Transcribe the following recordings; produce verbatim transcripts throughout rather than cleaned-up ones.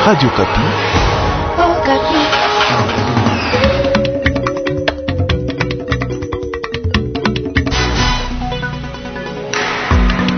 Radio Okapi. Okapi.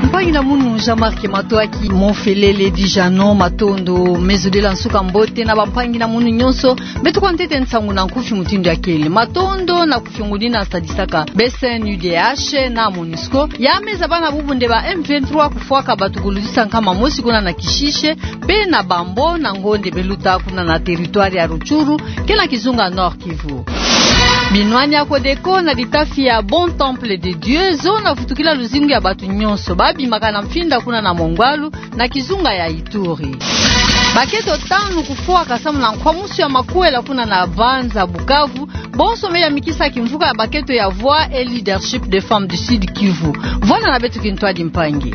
Mpangi na munu Jean-Marc Matoaki, Mofelele Dijano, matondo. Meso de la nsuka mbote na bampangi na munu nyonso. Beto kwa ntete nsangu na nkufi mutindu ya kele. Matondo na kufiongunina sadisaka B C N U D H na MONUSCO ya meza bana bubu nde ba M vingt-trois kufwaka bato kulutisa nkama mosi kuna na Kishishe, mpe na Bambo na ngonde beluta kuna na territoire ya Rutshuru, ke na kizunga Nord-Kivu. Binwani ya Codeco na litafi ya Bon Temple de Dieu zo na vutukila luzingu ya bato nyonso babimaka na mfinda kuna na Mongwalu, na kizunga ya Ituri. Baketo tanu kufwaka samu na nkwamusu ya makwela kuna na Banza, Bukavu, bonso me yamikisa kimvuka ya baketo ya Voix et Leadership des Femmes du Sud-Kivu. Vwanda na beto kintwadi, mpangi.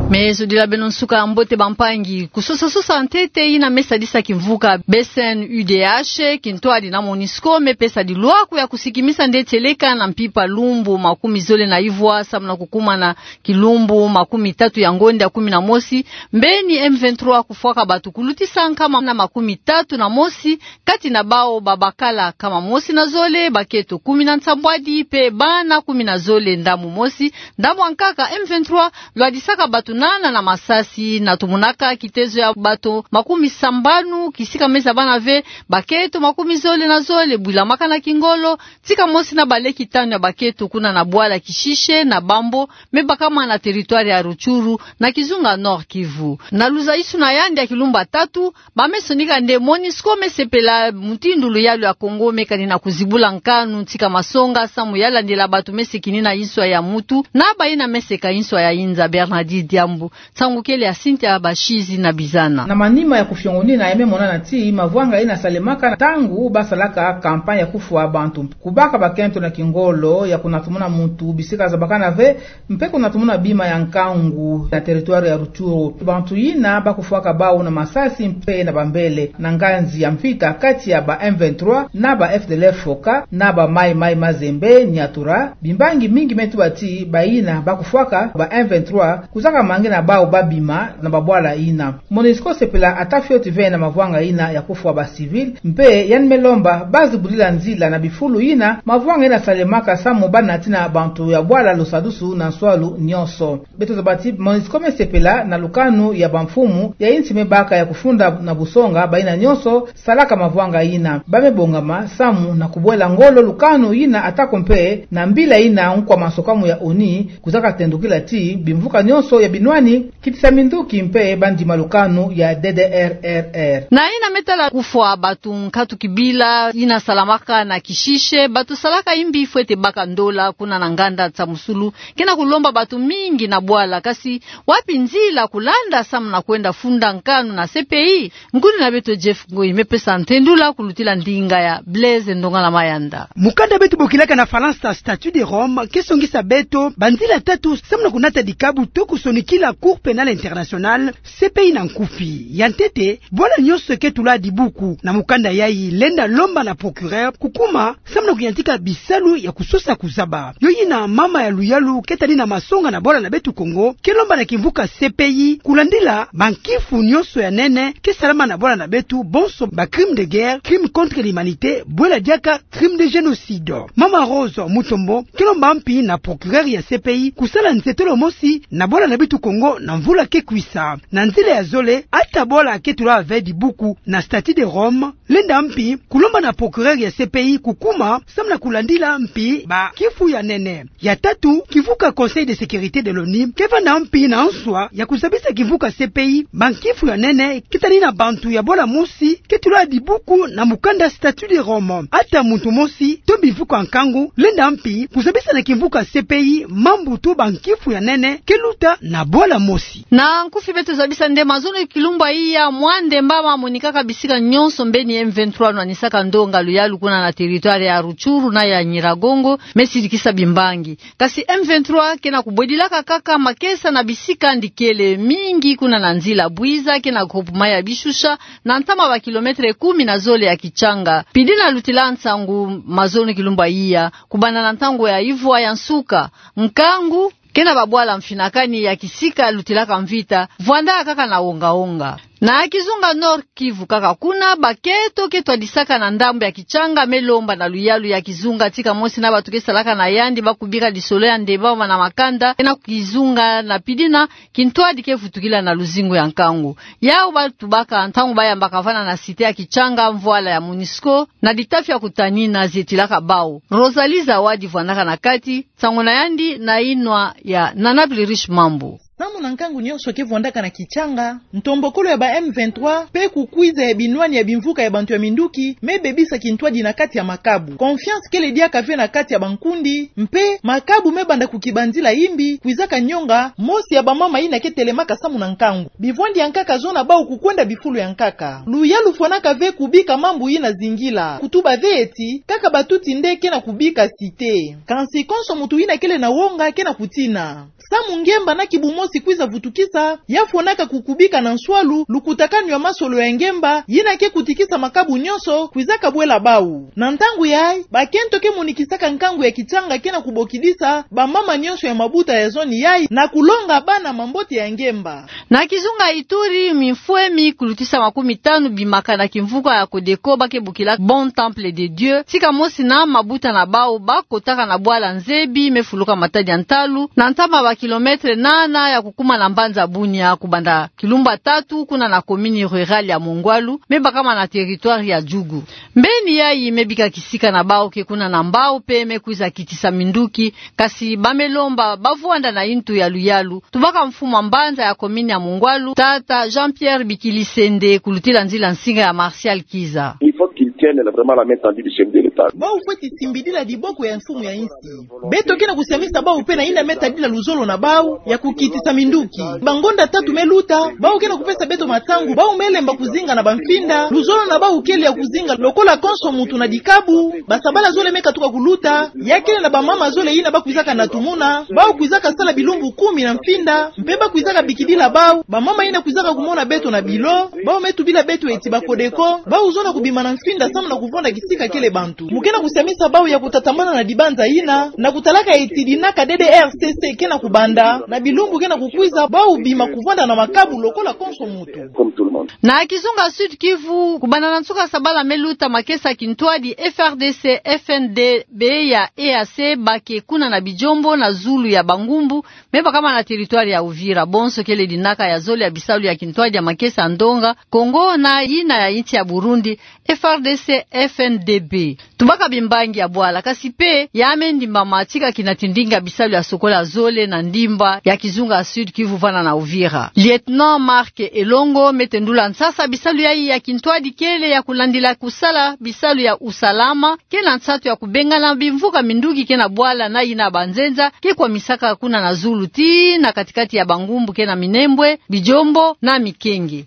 Meso de la beno nsuka mbote, bampangi. Kusosa-sosa ntete yina me sadisa kimvuka B C N U D H, kintwadi na MONUSCO, me pesa dilwaku ya kusikimisa nde tieleka na mpimpa lumbu makumi zole na ivwa samu na kukuma na kilumbu makumi tatu ya ngonde ya kumi na mosi, mbeni M vingt-trois kufwaka bato kulutisa nkama na makumi tatu na mosi, kati na bawu babakala nkama mosi na zole, baketo kumi na nsambwadi, mpe bana kumi na zole ndambu mosi. Ndambu ya nkaka, M vingt-trois lwadisaka bato nana na masasi, na tumunaka kitezo ya bato makumi sambanu, kisika me zabana ve baketo makumi zole na zole bwilamaka na kingolo, tika mosi na baleki tanu ya baketo kuna na bwala Kishishe na Bambo, me bakama na territoire ya Rutshuru, na kizunga Nord-Kivu. Na luzayisuna yandi ya kilumbu ya tatu, ba me sonika nde MONUSCO me sepela mutindu luyalu ya Congo me kani na kuzibula nkanu tika masonga samu ya landila bato me sekini na inswa ya mutu na bayina me seka inswa ya inza. Bernardine Diambu, nsangu kele ya Cynthia Bashizi na Bizana. Na manima ya kufiongunina ya me monana ti mavwanga yina salemaka ntangu basalaka campagne ya kufwa bantu, kubaka bakento na kingolo ya kunatumuna mutu bisika zabakana ve, mpe kunatumuna bima ya nkangu na territoire ya Rutshuru. Bantu yina bakufwaka bawu na masasi mpe na bambele. Na nganzi ya mvita kati ya ba M vingt-trois na ba F D L F Foka na ba Mai Mai Mazembe Nyatura, bimbangi mingi me tuba ti bayina bakufwaka ba M vingt-trois kuzaka mangi na bawu babima na babwala yina. MONUSCO sepela ata fioti ve na mavwanga yina ya kufwa ba civil, mpe yandi me lomba bazibudila nzila na bifulu yina mavwanga yina salemaka samu banatina bantu ya bwala lusadusu na nswalu nyonso. Beto zaba ti MONUSCO me sepela na lukanu ya bamfumu ya insi me baka ya kufunda na busonga bayina nyonso salaka mavwanga yina. Ba me bongama samu na kubwela ngolo lukanu yina, atako mpe na mbila yina nkwa masokamu ya ONU kuzaka tendukila ti bimvuka nyonso ya binwani kitisa minduki mpe bandima lukanu ya D D R R R. Na yina me tala kufwa bato nkatu kibila yina salamaka na Kishishe, bato salaka imbi fwete baka ndola kuna na nganda Nsamusulu, ke na kulomba bato mingi na bwala. Kasi wapi nzila kulanda samu na kwenda funda nkanu na C P I? Ngudi na beto Jeff Ngoi me pesa ntendula kulutila ndinga ya Blaise Ndongala Mayanda. Mukanda beto bokilaka na Falansa Statut de Rome ke songisa beto banzila tatu samu na kunata dikabu to kusonikila Cour Pénale Internationale, C P I na nkufi. Ya ntete, bwala nyonso ke tula dibuku na mukanda yayi lenda lomba na procureur kukuma samu na kuyantika bisalu ya kusosa kuzaba. Yo yina mama ya luyalu ke tali na masonga na bwala na beto Kongo ke lomba na kimvuka C P I kulandila bankifu nyonso ya nene ke salama na bwala na beto, bonso ba crime de guerre, crime contre l'humanité, bwela diaka crime de génocide. Mama Rose Mutombo ke lomba mpi na procureur ya C P I kusala nzietolo mosi na bwala na beto Kongo na mvula ke kwisa. Na nzila ya zole, ata bwala ke tula ve dibuku na Statut de Rome, lenda mpi kulomba na procureur ya C P I kukuma samu na kulandila mpi bankifu ya nene. Ya tatu, kimvuka Conseil de Sécurité de l'ONU ke vanda mpi na nswa ya kuzabisa kimvuka C P I bankifu ya nene ke tali na bantu ya bwala mosi ke tula dibuku na mukanda Statut de Rome. Ata muntu mosi to bimvuka nkangu lenda mpi kuzabisa na kimvuka C P I mambu to bankifu ya nene ke luta na bwala mosi. Na nkufi beto zabisa nde mazono kilumbu ya iya, mwa ndemba mamonikaka bisika nyonso mbeni M vingt-trois nwanisaka ndonga luyalu kuna na territoire ya Rutshuru na ya Nyiragongo, me sidikisa bimbangi. Kasi M vingt-trois ke na kubwedilaka kaka makesa na bisika ndikele mingi kuna na nzila Bwiza ke na groupement ya Bishusha, na ntama ba kilomètre kumi na zole ya Kitshanga. Pidi na lutila nsangu mazono kilumbu ya iya, kubanda na ntangu ya ivwa ya nsuka, nkangu Kena babwala mfinakani ya kisika lutilaka mvita, vwandaka kaka na wonga-wonga. Na kizunga Nord-Kivu kaka kuna, bakento ke twadisaka na ndambu ya Kichanga me lomba na luyalu ya kizunga tika mosi na bantu ke salaka na yandi ba kubika lisolo ya ndemba mana makanda, kena kizunga na pidina, kintwadi ke vutukila na luzingu ya nkangu. Yau ba tubaka ntangu ba yambaka vwanda na cité ya Kichanga mvwala ya MONUSCO, na ditafi ya kutanina zetilaka bau. Rosalie Zawadi vwandaka na kati, nsangu na yandi na yinwa ya Nana Plurish Mambu. Samu na nkangu nyonso ke vwandaka na Kichanga, ntombokolo ya ba M vingt-trois, pe kukwiza ya binwani ya bimvuka ya bantu ya minduki, me bebisa kintwadi na kati ya makabu. Confiance kele diaka ve na kati ya bankundi, mpe makabu me banda kukibanzila imbi, kwizaka nyonga, mosi ya bamama yina ke telemaka samu na nkangu. Bivwandi ya nkaka zona bau kukwenda bifulu ya nkaka. Luyalu fwanaka ve kubika mambu yina zingila. Kutuba ve eti, kaka batuti nde kena kubika cité. Kansi konso muntu yina kele na wonga kena kutina. Samu ngemba na kibu mosi kwiza vutukisa, ya fwanaka kukubika na nswalu, lukutakanu ya masolo ya ngemba, yina ke kutikisa makabu nyonso, kwizaka bwela bau. Na ntangu yayi, bakento ke monikisaka nkangu ya Kichanga kena kubokidisa, bamama nyonso ya mabuta ya zone yayi, na kulonga bana mambote ya ngemba. Na kizunga Ituri, mimfwe mi kulutisa makumi tanu bimaka na kimvuka ya Codeco ba ke bokila Bon Temple de Dieu, tika mosi na mabuta na bau ba kotaka na bwala Nzebi me fuluka matadi ya ntalu, na ntama ba kilomètre nana ya kukuma na mbanza Bunia, kubanda kilumbu tatu kuna na commune rurale ya Mongwalu, me bakama na territoire ya Djugu. Mbeni yayi me bika kisika na bau ke kuna na mbau pe me kwiza kitisa minduki, kasi ba me lomba ba vwanda na yintu ya luyalu. Tubaka mfumu wa mbanza ya commune ya Mongwalu, tata Jean-Pierre Bikilisende, kulutila nzila nsinga ya Martial Kiza. Il faut qu'ils tiennent vraiment la main tendue du chef de l'État. Bau fweti simbidila diboko ya mfumu ya insi. Beto kena kusiamisa bau pe na yina me tadila luzolo na bau ya kukitisa minduki. Bangonda tatu me luta, bau kena kupesa beto matangu, bau me lemba kuzinga na bamfinda, luzolo na bau kele ya kuzinga lokola konso muntu na dikabu, basabala zole me katuka kuluta, ya kele na bamama zole yina ba kwizaka na tumuna, bau kwizaka sala bilumbu kumi na mfinda, mpe ba kwizaka bikidila bau, bamama yina kwizaka kumona beto na bilo, bau me tubila beto eti ba Codeco, bau zona kubima na mfinda samu na kuvwanda kisika kele bantu. Mu kena kusiamisa bau ya kutatamana na dibanza yina, na kutalaka eti dinaka D D R C C kena kubanda, na bilumbu kena kukwiza, bau bima kuvwanda na makabu lokola konso muntu. Comme tout le monde. Na kizunga Sud-Kivu, kubanda na nsuka sabala me luta makesa kintwadi F R D C F N D B ya E A C ba ke kuna na Bijombo na zulu ya bangumbu, me bakama na territoire ya Uvira. Bonso kele dinaka ya zole ya bisalu ya kintwadi ya makesa ya ndonga Kongo na yina ya insi ya Burundi, F R D C F N D B. Tubaka bimbangi ya bwala, kasi pe ya me ndimbama tika kina tindinga bisalu ya sokola zole na ndimba ya kizunga Sud-Kivu vana na Uvira. Lieutenant Marc Elongo me tendula nsasa bisalu yayi ya kintwadi kele ya kulandila kusala bisalu ya usalama, kena nsatu ya kubengana bimvuka minduki kena bwala na yina banzenza ke kwamisaka kuna na zulu tii na katikati ya bangumbu kena Minembwe, Bijombo na Mikenge.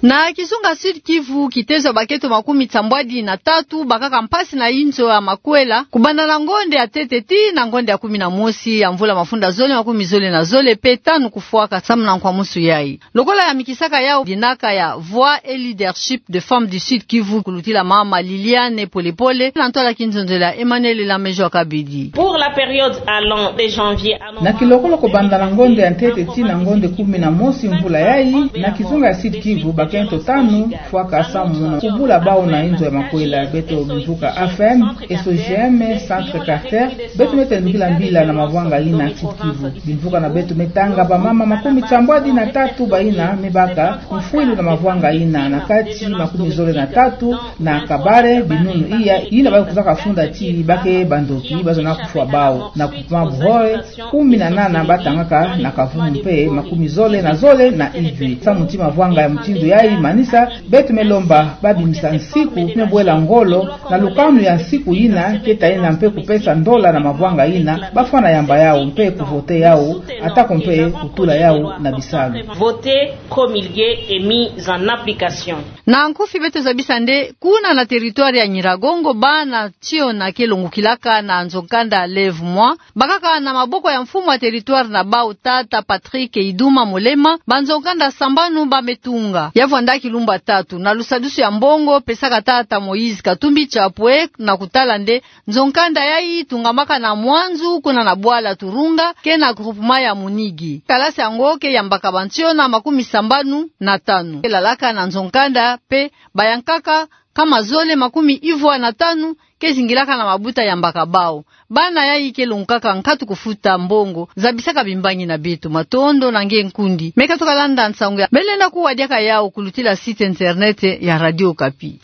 Na kizunga Sud-Kivu, kitezo ya bakento makumi nsambwadi na tatu bakaka mpasi na inzo ya makwela, kubanda na ngonde ya ntete tii na ngonde ya kumi na mosi ya mvula mafunda zole makumi zole na zole pe tanu kufwaka samu na nkwamusu yayi. Lokola yamikisaka yau dinaka ya Voix et Leadership de Femmes du Sud-Kivu, kulutila mama Liliane Polepole, na ntwala kinzonzela Emmanuel Lamejo Kabidi. Pour la période allant de janvier à novembre. Na kilokolo kubanda na ngonde ya ntete tii na ngonde kumi na mosi mvula yayi, na kizunga ya Sud-Kivu, bakento tanu fwaka samu na kubula bau na inzo ya makwela. Beto bimvuka A F M, S O G M, Centre Carter, beto me tendukila mbila na mavwanga yina Sud-Kivu. Bimvuka na beto me tanga bamama makumi nsambwadi na tatu bayina me baka mfwilu na mavwanga yina, na kati makumi zole na tatu na Kabare, binunu iya yina ba kwizaka funda ti ba ke bandoki, ba zona kufwa bau, na groupement Buhore, kumi na nana ba tangaka na kavumu mpe makumi zole na zole na Idjwi. Samu ti mavwanga ya mutindu yayi manisa, beto me lomba ba bimisa nsiku me bwela ngolo na lukanu ya nsiku yina, keta yina mpe kupesa ndola na mavwanga yina, ba fwana yamba yau mpe kuvote yau, atako mpe kutula yau na bisalu. Voter, promulguer et mise en application. Na nkufi beto zabisa nde, kuna na territoire ya Nyiragongo, bana tiona ke longukilaka na nzo-nkanda Lève-moi bakaka na maboko ya mfumu wa territoire na bau, tata Patrick Iduma Molema, banzo-nkanda sambanu ba me tunga. Ya Vwandaki lumbu tatu na lusadusu ya mbongo pesaka tata Moïse Katumbi Chapwe na kutala nde nzo-nkanda yayi tungamaka na Mwanzu kuna na bwala Turunga ke na groupement ya Munigi. Kalasi yango ke yambaka bansiona makumi sambanu na tanu. Ke lalaka na nzo-nkanda pe bayankaka kama zole makumi ivwa na tanu ke zingilaka na mabuta yambaka bawu. Bana yayi ke longukaka nkatu kufuta mbongo, zabisaka bimbangi na beto. Matondo na nge nkundi. Meka tukalanda nsangu ya bele na kuwa diaka yawu kulutila site internet ya Radio Okapi.